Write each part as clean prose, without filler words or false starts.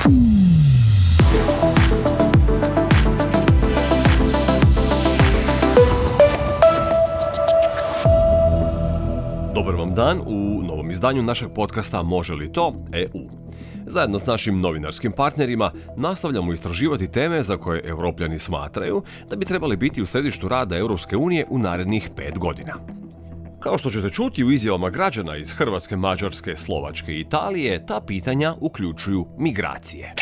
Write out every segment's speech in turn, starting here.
Dobar vam dan u novom izdanju našeg podcasta Može li to? EU. Zajedno s našim novinarskim partnerima nastavljamo istraživati teme za koje Europljani smatraju da bi trebali biti u središtu rada Europske unije u narednih 5 godina. Kao što ćete čuti u izjavama građana iz Hrvatske, Mađarske, Slovačke i Italije, ta pitanja uključuju migracije.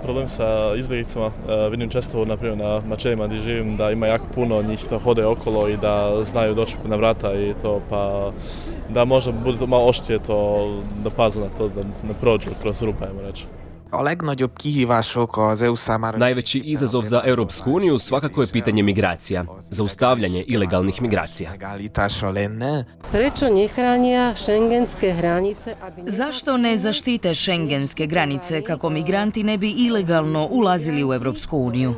Problem sa izbjeglicama vidim često naprimjer na načelima gdje živim da ima jako puno njih da hode okolo i da znaju doći na vrata i to, pa da možda bude malo oštrije to, da pazu na to, da ne prođu kroz rupe, ajmo reći. Najveći izazov za Europsku uniju svakako je pitanje migracija, zaustavljanje ilegalnih migracija. Zašto ne zaštite šengenske granice kako migranti ne bi ilegalno ulazili u Europsku uniju?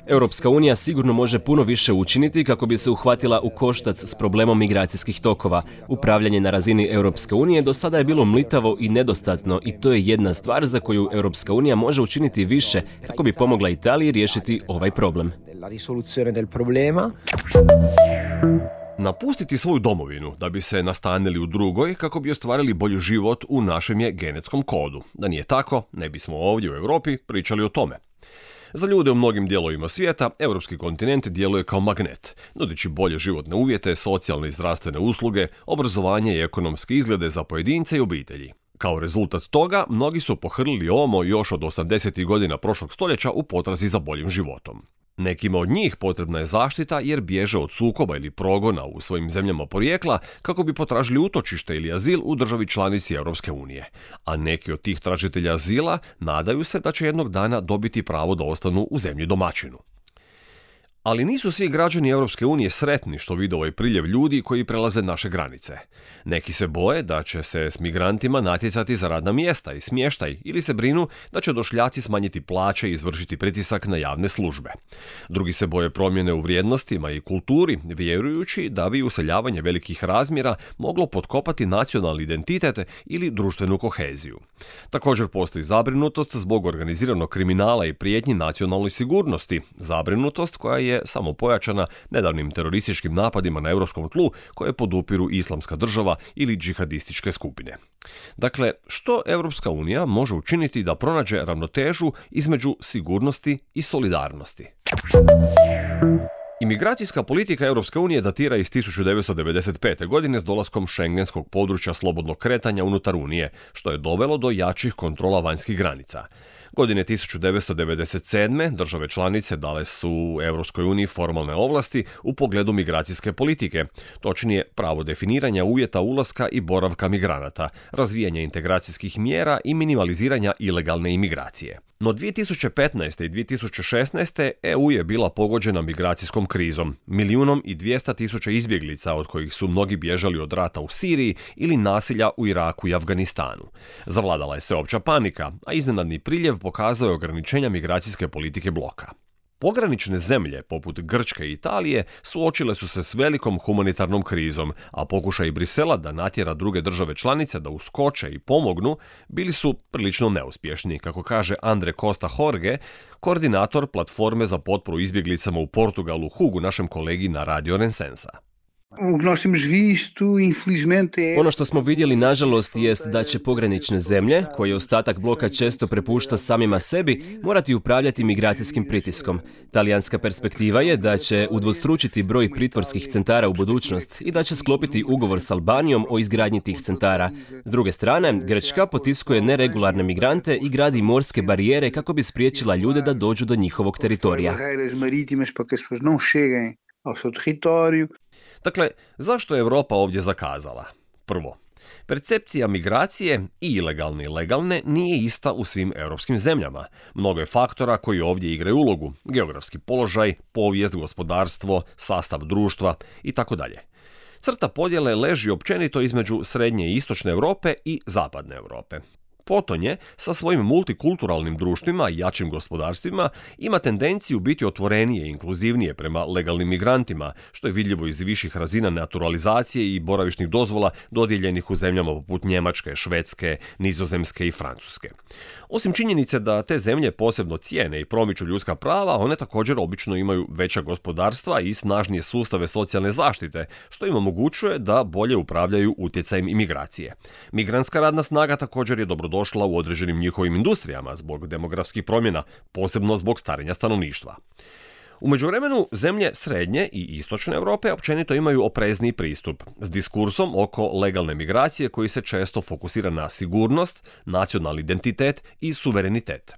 Europska unija sigurno može puno više učiniti kako bi se uhvatila u koštac s problemom migracijskih tokova. Upravljanje na razini Europske unije do sada je bilo mlitavo i nedostatno i to je jedna stvar za koju Europska unija može učiniti više kako bi pomogla Italiji riješiti ovaj problem. Napustiti svoju domovinu da bi se nastanili u drugoj kako bi ostvarili bolji život u našem je genetskom kodu. Da nije tako, ne bismo ovdje u Europi pričali o tome. Za ljude u mnogim dijelovima svijeta, europski kontinent djeluje kao magnet, nudeći bolje životne uvjete, socijalne i zdravstvene usluge, obrazovanje i ekonomske izglede za pojedince i obitelji. Kao rezultat toga, mnogi su pohrlili ovamo još od 80. godina prošlog stoljeća u potrazi za boljim životom. Nekima od njih potrebna je zaštita jer bježe od sukoba ili progona u svojim zemljama porijekla kako bi potražili utočište ili azil u državi članici Europske unije. A neki od tih tražitelja azila nadaju se da će jednog dana dobiti pravo da ostanu u zemlji domaćinu. Ali nisu svi građani Europske unije sretni što vide ovaj priljev ljudi koji prelaze naše granice. Neki se boje da će se s migrantima natjecati za radna mjesta i smještaj ili se brinu da će došljaci smanjiti plaće i izvršiti pritisak na javne službe. Drugi se boje promjene u vrijednostima i kulturi, vjerujući da bi useljavanje velikih razmjera moglo potkopati nacionalni identitet ili društvenu koheziju. Također postoji zabrinutost zbog organiziranog kriminala i prijetnji nacionalnoj sigurnosti, zabrinutost koja je samo pojačana nedavnim terorističkim napadima na europskom tlu koje podupiru Islamska država ili džihadističke skupine. Dakle, što Europska unija može učiniti da pronađe ravnotežu između sigurnosti i solidarnosti? Imigracijska politika Europske unije datira iz 1995. godine s dolaskom šengenskog područja slobodnog kretanja unutar Unije, što je dovelo do jačih kontrola vanjskih granica. Godine 1997. države članice dale su Europskoj uniji formalne ovlasti u pogledu migracijske politike, točnije pravo definiranja uvjeta ulaska i boravka migranata, razvijanja integracijskih mjera i minimaliziranja ilegalne imigracije. No 2015. i 2016. EU je bila pogođena migracijskom krizom, 1.200.000 izbjeglica od kojih su mnogi bježali od rata u Siriji ili nasilja u Iraku i Afganistanu. Zavladala je sveopća panika, a iznenadni priljev pokazao je ograničenja migracijske politike bloka. Pogranične zemlje, poput Grčke i Italije, suočile su se s velikom humanitarnom krizom, a pokušaj Brisela da natjera druge države članice da uskoče i pomognu bili su prilično neuspješni, kako kaže Andre Costa Jorge, koordinator platforme za potporu izbjeglicama u Portugalu, Hugu, našem kolegi na Radio Rensensa. Ono što smo vidjeli, nažalost, jest da će pogranične zemlje, koje ostatak bloka često prepušta samima sebi, morati upravljati migracijskim pritiskom. Talijanska perspektiva je da će udvostručiti broj pritvorskih centara u budućnost i da će sklopiti ugovor s Albanijom o izgradnji tih centara. S druge strane, Grčka potiskuje neregularne migrante i gradi morske barijere kako bi spriječila ljude da dođu do njihovog teritorija. Dakle, zašto je Europa ovdje zakazala? Prvo, percepcija migracije, i ilegalne i legalne, nije ista u svim europskim zemljama. Mnogo je faktora koji ovdje igraju ulogu: geografski položaj, povijest, gospodarstvo, sastav društva itd. Crta podjele leži općenito između srednje i istočne Europe i zapadne Europe. Potonje, sa svojim multikulturalnim društvima i jačim gospodarstvima, ima tendenciju biti otvorenije i inkluzivnije prema legalnim migrantima, što je vidljivo iz viših razina naturalizacije i boravišnih dozvola dodijeljenih u zemljama poput Njemačke, Švedske, Nizozemske i Francuske. Osim činjenice da te zemlje posebno cijene i promiču ljudska prava, one također obično imaju veća gospodarstva i snažnije sustave socijalne zaštite, što im omogućuje da bolje upravljaju utjecajem imigracije. Migrantska radna snaga također je dobrodošla u određenim njihovim industrijama zbog demografskih promjena, posebno zbog starenja stanovništva. U međuvremenu, zemlje srednje i istočne Europe općenito imaju oprezniji pristup, s diskursom oko legalne migracije koji se često fokusira na sigurnost, nacionalni identitet i suverenitet.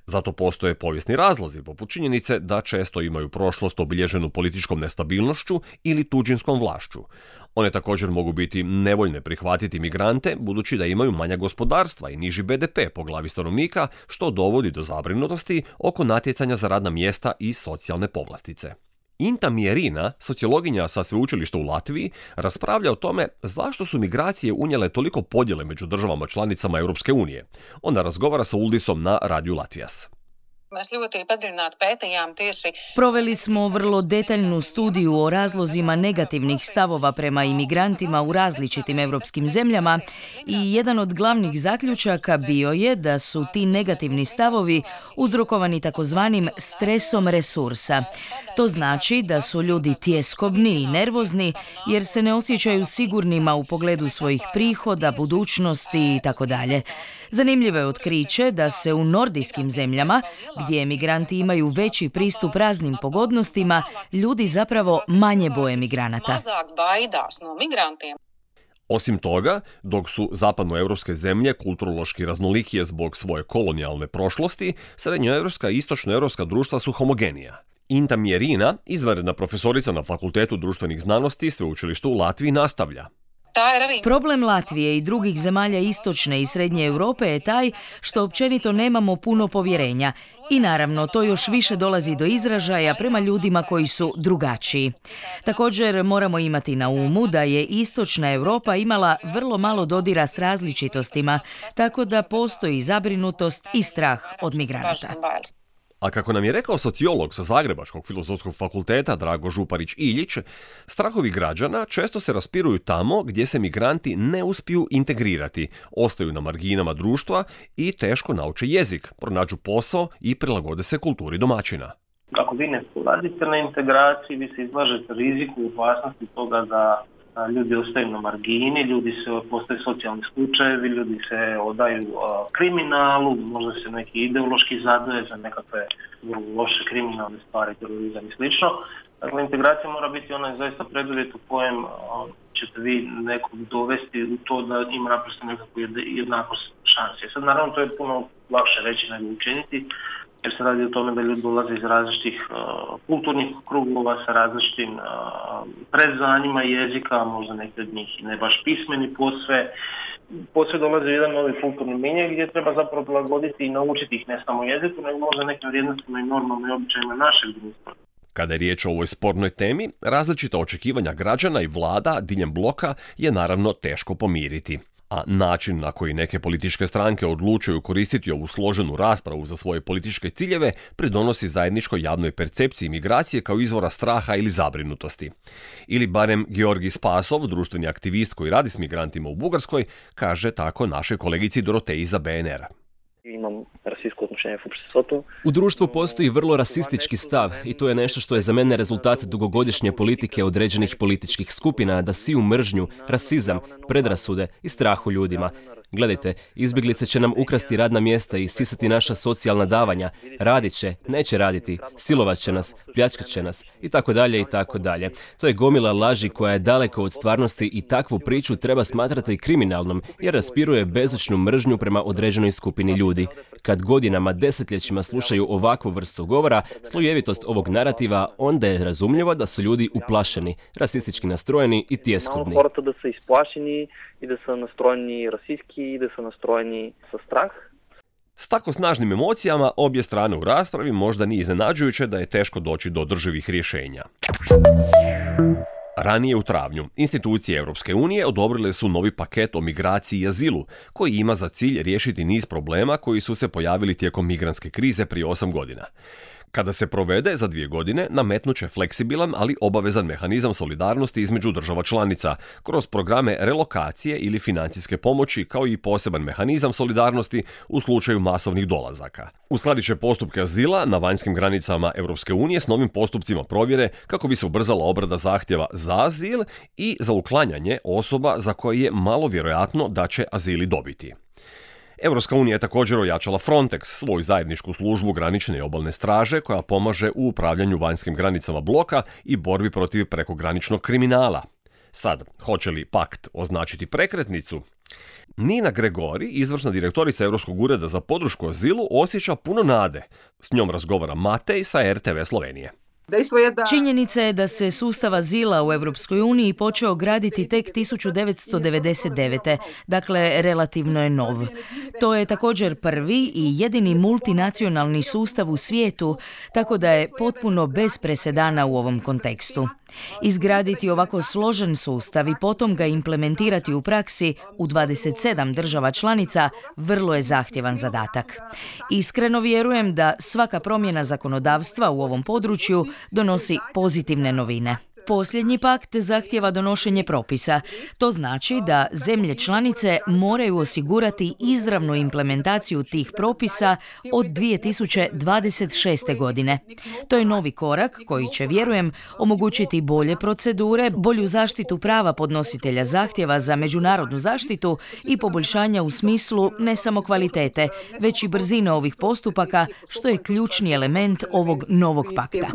Zato postoje povijesni razlozi, poput činjenice da često imaju prošlost obilježenu političkom nestabilnošću ili tuđinskom vlašću. One također mogu biti nevoljne prihvatiti migrante, budući da imaju manja gospodarstva i niži BDP po glavi stanovnika, što dovodi do zabrinutosti oko natjecanja za radna mjesta i socijalne povlastice. Inta Mierina, sociologinja sa sveučilišta u Latviji, raspravlja o tome zašto su migracije unijele toliko podjele među državama članicama Europske unije. Ona razgovara sa Uldisom na radiju Latvijas. Proveli smo vrlo detaljnu studiju o razlozima negativnih stavova prema imigrantima u različitim europskim zemljama i jedan od glavnih zaključaka bio je da su ti negativni stavovi uzrokovani takozvanim stresom resursa. To znači da su ljudi tjeskobni i nervozni jer se ne osjećaju sigurnima u pogledu svojih prihoda, budućnosti itd. Zanimljivo je otkriće da se u nordijskim zemljama, gdje emigranti imaju veći pristup raznim pogodnostima, ljudi zapravo manje boje migranata. Osim toga, dok su zapadnoevropske zemlje kulturološki raznolikije zbog svoje kolonijalne prošlosti, srednjoevropska i istočnoevropska društva su homogenija. Inta Mierina, izvanredna profesorica na Fakultetu društvenih znanosti Sveučilišta u Latviji, nastavlja. Problem Latvije i drugih zemalja istočne i srednje Europe je taj što općenito nemamo puno povjerenja i naravno to još više dolazi do izražaja prema ljudima koji su drugačiji. Također moramo imati na umu da je istočna Europa imala vrlo malo dodira s različitostima, tako da postoji zabrinutost i strah od migranata. A kako nam je rekao sociolog sa Zagrebačkog filozofskog fakulteta Drago Župarić-Iljić, strahovi građana često se raspiruju tamo gdje se migranti ne uspiju integrirati, ostaju na marginama društva i teško nauče jezik, pronađu posao i prilagode se kulturi domaćina. Ako vi ne poradite na integraciji, vi se izlažete riziku, opasnosti toga da ljudi ostaju na margini, postaju socijalni slučajevi, ljudi se odaju kriminalu, možda se neki ideološki zaduje za nekakve loše kriminalne stvari, terorizam i slično. Dakle, integracija mora biti onaj zaista preduvjet u kojem ćete vi nekog dovesti u to da ima naprosto nekakvu jednakost šanse. Sad, naravno, to je puno lakše reći nego učiniti, jer se radi o tome da ljudi dolaze iz različitih kulturnih krugova sa različitim predznanjima jezika, možda neki od njih ne baš pismeni posve dolaze u jedan novi kulturni milje gdje treba zapravo prilagoditi i naučiti ih ne samo jeziku, nego možda nekim vrijednostima i normama i običajima našeg društva. Kada je riječ o ovoj spornoj temi, različita očekivanja građana i vlada diljem bloka je naravno teško pomiriti. A način na koji neke političke stranke odlučuju koristiti ovu složenu raspravu za svoje političke ciljeve pridonosi zajedničkoj javnoj percepciji migracije kao izvora straha ili zabrinutosti. Ili barem Georgi Spasov, društveni aktivist koji radi s migrantima u Bugarskoj, kaže tako našoj kolegici Doroteji za BNR. Imam rasistsko odnošenje u обществото. U društvu postoji vrlo rasistički stav i to je nešto što je za mene rezultat dugogodišnje politike određenih političkih skupina da siju mržnju, rasizam, predrasude i strah u ljudima. Gledajte, izbjeglice će nam ukrasti radna mjesta i sisati naša socijalna davanja. Radit će, neće raditi, silovat će nas, pljačkat će nas i tako dalje i tako dalje. To je gomila laži koja je daleko od stvarnosti i takvu priču treba smatrati kriminalnom jer raspiruje bezočnu mržnju prema određenoj skupini ljudi. Kad godinama, desetljećima slušaju ovakvu vrstu govora, slojevitost ovog narativa, onda je razumljivo da su ljudi uplašeni, rasistički nastrojeni i tjeskobni. Хората да са изплашени и да са настроени расистски и да са настроени със страх. S tako snažnim emocijama obje strane u raspravi možda nije iznenađujuće da je teško doći do održivih rješenja. Ranije u travnju, institucije Europske unije odobrile su novi paket o migraciji i azilu, koji ima za cilj riješiti niz problema koji su se pojavili tijekom migrantske krize prije 8 godina. Kada se provede za 2 godine, nametnut će fleksibilan, ali obavezan mehanizam solidarnosti između država članica, kroz programe relokacije ili financijske pomoći, kao i poseban mehanizam solidarnosti u slučaju masovnih dolazaka. Uskladit će postupke azila na vanjskim granicama Europske unije s novim postupcima provjere kako bi se ubrzala obrada zahtjeva za azil i za uklanjanje osoba za koje je malo vjerojatno da će azili dobiti. Europska unija je također ojačala Frontex, svoju zajedničku službu granične i obalne straže koja pomaže u upravljanju vanjskim granicama bloka i borbi protiv prekograničnog kriminala. Sad, hoće li pakt označiti prekretnicu? Nina Gregori, izvršna direktorica Europskog ureda za podršku azilu, osjeća puno nade. S njom razgovara Matej sa RTV Slovenije. Činjenica je da se sustav azila u Europskoj uniji počeo graditi tek 1999. Dakle, relativno je nov. To je također prvi i jedini multinacionalni sustav u svijetu, tako da je potpuno bez presedana u ovom kontekstu. Izgraditi ovako složen sustav i potom ga implementirati u praksi u 27 država članica vrlo je zahtjevan zadatak. Iskreno vjerujem da svaka promjena zakonodavstva u ovom području donosi pozitivne novine. Posljednji pakt zahtjeva donošenje propisa. To znači da zemlje članice moraju osigurati izravnu implementaciju tih propisa od 2026. godine. To je novi korak koji će, vjerujem, omogućiti bolje procedure, bolju zaštitu prava podnositelja zahtjeva za međunarodnu zaštitu i poboljšanja u smislu ne samo kvalitete, već i brzine ovih postupaka, što je ključni element ovog novog pakta.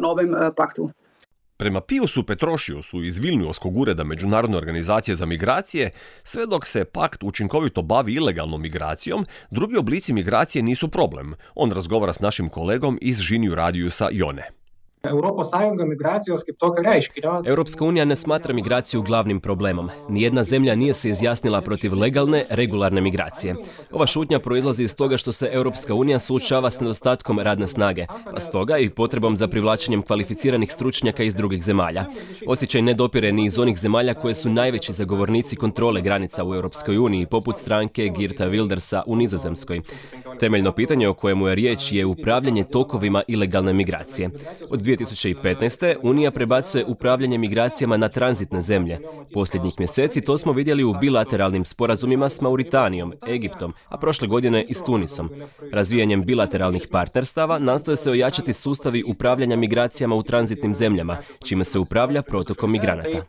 Prema Piusu Petrošiusu iz Vilniuskog ureda Međunarodne organizacije za migracije, sve dok se pakt učinkovito bavi ilegalnom migracijom, drugi oblici migracije nisu problem. On razgovara s našim kolegom iz Žinių Radijusa Jone. Europska unija ne smatra migraciju glavnim problemom. Nijedna zemlja nije se izjasnila protiv legalne, regularne migracije. Ova šutnja proizlazi iz toga što se Europska unija suočava s nedostatkom radne snage, pa stoga i potrebom za privlačenjem kvalificiranih stručnjaka iz drugih zemalja. Osjećaj ne dopire ni iz onih zemalja koje su najveći zagovornici kontrole granica u Europskoj uniji, poput stranke Geerta Wildersa u Nizozemskoj. Temeljno pitanje o kojemu je riječ je upravljanje tokovima ilegalne migracije. Od 2015. Unija prebacuje upravljanje migracijama na tranzitne zemlje. Posljednjih mjeseci to smo vidjeli u bilateralnim sporazumima s Mauritanijom, Egiptom, a prošle godine i s Tunisom. Razvijanjem bilateralnih partnerstava nastoje se ojačati sustavi upravljanja migracijama u tranzitnim zemljama, čime se upravlja protokom migranata.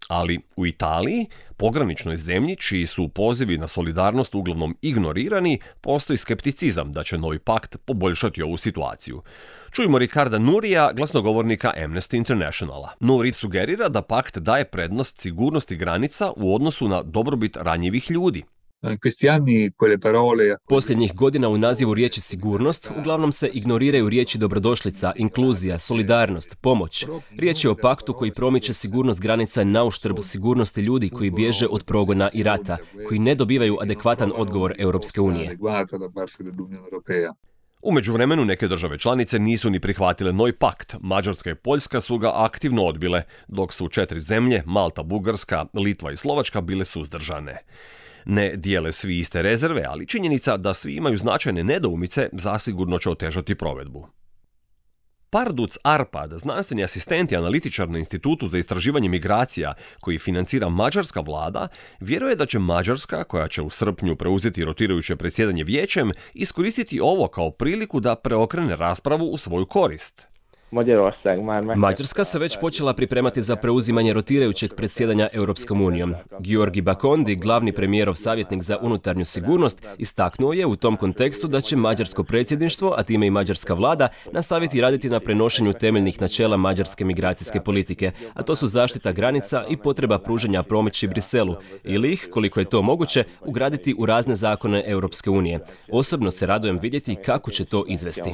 Ali u Italiji, pograničnoj zemlji čiji su pozivi na solidarnost uglavnom ignorirani, postoji skepticizam da će novi pakt poboljšati ovu situaciju. Čujmo Riccarda Nurija, glasnogovornika Amnesty Internationala. Nuri sugerira da pakt daje prednost sigurnosti granica u odnosu na dobrobit ranjivih ljudi. Posljednjih godina u nazivu riječi sigurnost uglavnom se ignoriraju riječi dobrodošlica, inkluzija, solidarnost, pomoć. Riječ je o paktu koji promiče sigurnost granica na uštrb sigurnosti ljudi koji bježe od progona i rata, koji ne dobivaju adekvatan odgovor Europske unije. U međuvremenu neke države članice nisu ni prihvatile novi pakt. Mađarska i Poljska su ga aktivno odbile, dok su 4 zemlje, Malta, Bugarska, Litva i Slovačka, bile suzdržane. Ne dijele svi iste rezerve, ali činjenica da svi imaju značajne nedoumice zasigurno će otežati provedbu. Parduc Arpad, znanstveni asistent i analitičar na Institutu za istraživanje migracija koji financira mađarska vlada, vjeruje da će Mađarska, koja će u srpnju preuzeti rotirajuće predsjedanje vijećem, iskoristiti ovo kao priliku da preokrene raspravu u svoju korist. Mađarska se već počela pripremati za preuzimanje rotirajućeg predsjedanja Europskom unijom. Georgi Bakondi, glavni premijerov savjetnik za unutarnju sigurnost, istaknuo je u tom kontekstu da će mađarsko predsjedništvo, a time i mađarska vlada, nastaviti raditi na prenošenju temeljnih načela mađarske migracijske politike, a to su zaštita granica i potreba pružanja pomoći Briselu, ili ih, koliko je to moguće, ugraditi u razne zakone Europske unije. Osobno se radujem vidjeti kako će to izvesti.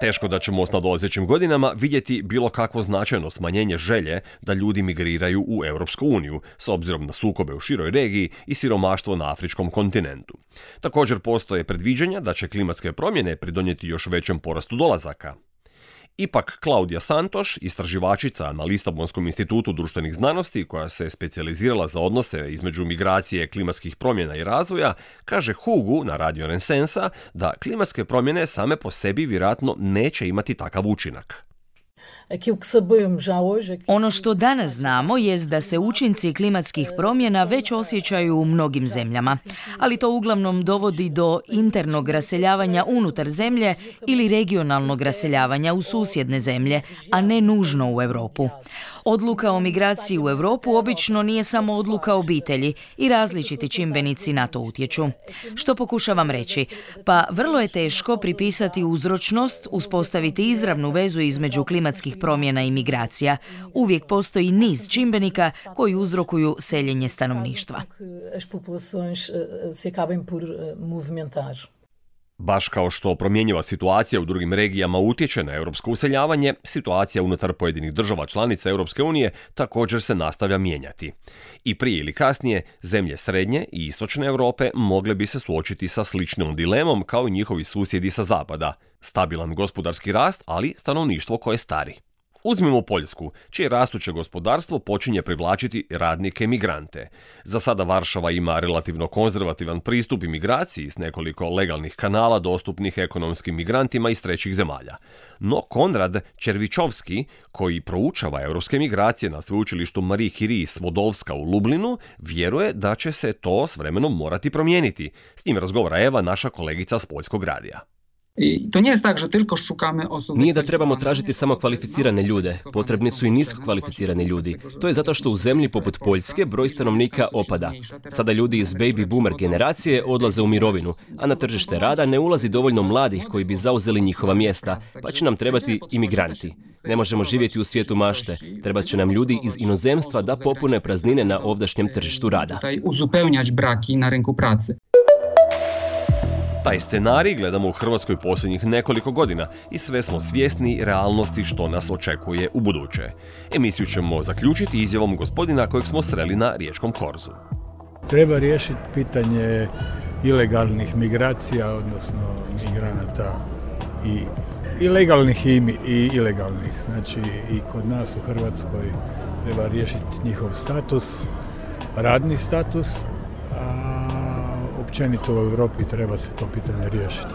Teško da ćemo s nadolazećim godinama vidjeti bilo kakvo značajno smanjenje želje da ljudi migriraju u Europsku uniju, s obzirom na sukobe u široj regiji i siromaštvo na afričkom kontinentu. Također postoje predviđanja da će klimatske promjene pridonijeti još većem porastu dolazaka. Ipak Klaudija Santoš, istraživačica na Lisabonskom institutu društvenih znanosti koja se specijalizirala za odnose između migracije, klimatskih promjena i razvoja, kaže Hugu na Radio Renesansa da klimatske promjene same po sebi vjerojatno neće imati takav učinak. Ono što danas znamo jest da se učinci klimatskih promjena već osjećaju u mnogim zemljama, ali to uglavnom dovodi do internog raseljavanja unutar zemlje ili regionalnog raseljavanja u susjedne zemlje, a ne nužno u Europu. Odluka o migraciji u Europu obično nije samo odluka obitelji i različiti čimbenici na to utječu. Što pokušavam reći? Pa vrlo je teško pripisati uzročnost, uspostaviti izravnu vezu između klimatskih promjena i migracija. Uvijek postoji niz čimbenika koji uzrokuju seljenje stanovništva. Baš kao što promjenjiva situacija u drugim regijama utječe na europsko useljavanje, situacija unutar pojedinih država članica Europske unije također se nastavlja mijenjati. I prije ili kasnije, zemlje srednje i istočne Europe mogle bi se suočiti sa sličnom dilemom kao i njihovi susjedi sa zapada. Stabilan gospodarski rast, ali stanovništvo koje stari. Uzmimo Poljsku, čije rastuće gospodarstvo počinje privlačiti radnike migrante. Za sada Varšava ima relativno konzervativan pristup imigraciji s nekoliko legalnih kanala dostupnih ekonomskim migrantima iz trećih zemalja. No Konrad Červičovski, koji proučava europske migracije na sveučilištu Marie Curie Svodovska u Lublinu, vjeruje da će se to s vremenom morati promijeniti. S njim razgovara Eva, naša kolegica s Poljskog radija. Nije da trebamo tražiti samo kvalificirane ljude, potrebni su i nisko kvalificirani ljudi. To je zato što u zemlji poput Poljske broj stanovnika opada. Sada ljudi iz baby boomer generacije odlaze u mirovinu, a na tržište rada ne ulazi dovoljno mladih koji bi zauzeli njihova mjesta, pa će nam trebati imigranti. Ne možemo živjeti u svijetu mašte, trebat će nam ljudi iz inozemstva da popune praznine na ovdašnjem tržištu rada. Taj scenarij gledamo u Hrvatskoj posljednjih nekoliko godina i sve smo svjesni realnosti što nas očekuje u buduće. Emisiju ćemo zaključiti izjavom gospodina kojeg smo sreli na riječkom korzu. Treba riješiti pitanje ilegalnih migracija, odnosno migranata i legalnih i ilegalnih. Znači i kod nas u Hrvatskoj treba riješiti njihov status, radni status, općenito u Europi treba se to pitanje riješiti.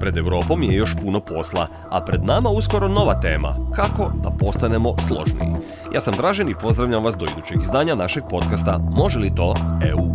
Pred Europom je još puno posla, a pred nama uskoro nova tema, kako da postanemo složniji. Ja sam Dražen i pozdravljam vas do idućeg izdanja našeg podcasta Može li to EU?